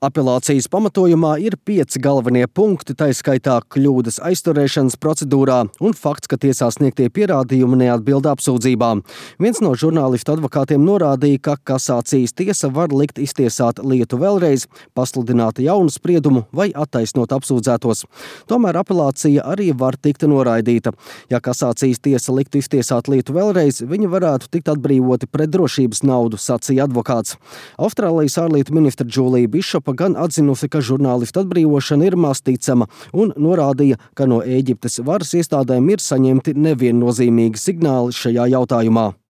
Apelācijas pamatojumā ir 5 galvenie punkti, tā skaitā kļūdas aizturēšanas procedūrā un fakts, ka tiesā sniegtie pierādījumi neatbild apsūdzībām. Viens no žurnālistu advokātiem norādīja, ka kasācijas tiesa var likt iztiesāt lietu vēlreiz, pasludināt jaunu spriedumu vai attaisnot apsūdzētos. Tomēr apelācija arī var tikt noraidīta. Ja kasācijas tiesa liktu iztiesāt lietu vēlreiz, viņi varētu tikt atbrīvoti pret drošības naudu, sacīja advokāts. Austrālijas ārlietu ministra Džūlija Bišopa gan atzinusi, ka žurnālistu atbrīvošana ir maz ticama un norādīja, ka no Ēģiptes varas iestādēm ir saņemti neviennozīmīgi signāli šajā jautājumā.